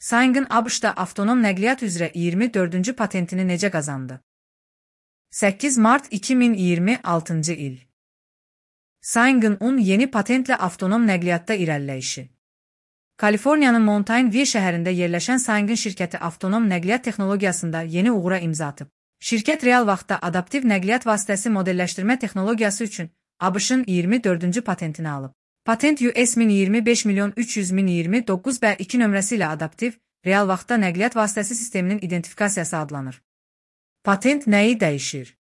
Saing'in ABŞ-da avtonom nəqliyyat üzrə 24-cü patentini necə qazandı? 8 mart 2026-cı il. Saing'in yeni patentlə avtonom nəqliyyatda irəliləyişi. Kaliforniyanın Mountain View şəhərində yerləşən Saing'in şirkəti avtonom nəqliyyat texnologiyasında yeni uğura imza atıb. Şirkət real vaxtda adaptiv nəqliyyat vasitəsi modelləşdirmə texnologiyası üçün ABŞ-ın 24-cü patentini alıb. Patent US 1025.300.029B2 nömrəsi ilə adaptiv, real vaxtda nəqliyyat vasitəsi sisteminin identifikasiyası adlanır. Patent nəyi dəyişir?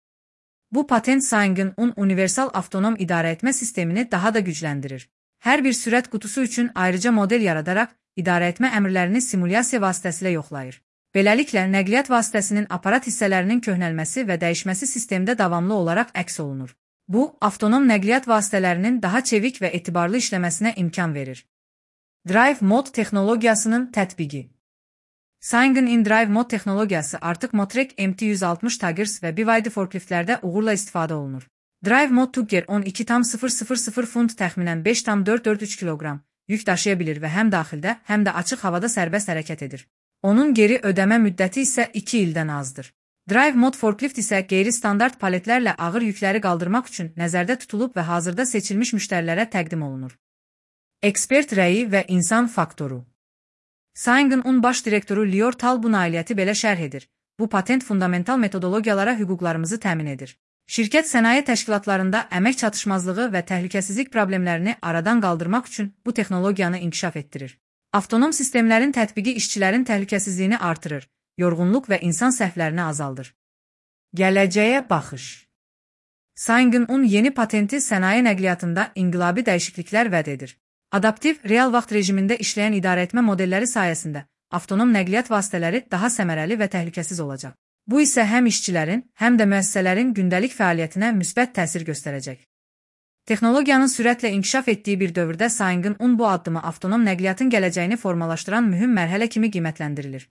Bu patent Saing'in universal avtonom idarəetmə sistemini daha da gücləndirir. Hər bir sürət qutusu üçün ayrıca model yaradaraq idarəetmə əmrlərini simulyasiya vasitəsilə yoxlayır. Beləliklə, nəqliyyat vasitəsinin aparat hissələrinin köhnəlməsi və dəyişməsi sistemdə davamlı olaraq əks olunur. Bu, avtonom nəqliyyat vasitələrinin daha çevik və etibarlı işləməsinə imkan verir. Drive Mode texnologiyasının tətbiqi. Saing'in in-drive mode texnologiyası artıq Motrec MT-160 Tigers və BYD forkliftlərdə uğurla istifadə olunur. Drive Mode Tugger 12,000 funt təxminən 5,443 kiloqram yük daşıya bilir və həm daxildə, həm də açıq havada sərbəst hərəkət edir. Onun geri ödəmə müddəti isə 2 ildən azdır. Drive Mode forklift isə qeyri-standart paletlərlə ağır yükləri qaldırmaq üçün nəzərdə tutulub və hazırda seçilmiş müştərilərə təqdim olunur. Ekspert rəyi və insan faktoru. Saing'in baş direktoru Lior Tal bu nailiyyəti belə şərh edir. Bu patent fundamental metodologiyalara hüquqlarımızı təmin edir. Şirkət sənaye təşkilatlarında əmək çatışmazlığı və təhlükəsizlik problemlərini aradan qaldırmaq üçün bu texnologiyanı inkişaf etdirir. Avtonom sistemlərin tətbiqi işçilərin təhlükəsizliyini artırır, yorğunluq və insan səhvlərini azaldır. Gələcəyə baxış. Saing'in yeni patenti sənaye nəqliyyatında inqilabi dəyişikliklər vəd edir. Adaptiv, real vaxt rejimində işləyən idarəetmə modelləri sayəsində avtonom nəqliyyat vasitələri daha səmərəli və təhlükəsiz olacaq. Bu isə həm işçilərin, həm də müəssisələrin gündəlik fəaliyyətinə müsbət təsir göstərəcək. Texnologiyanın sürətlə inkişaf etdiyi bir dövrdə Saing'in bu addımı avtonom nəqliyyatın gələcəyini formalaşdıran mühüm mərhələ kimi qiymətləndirilir.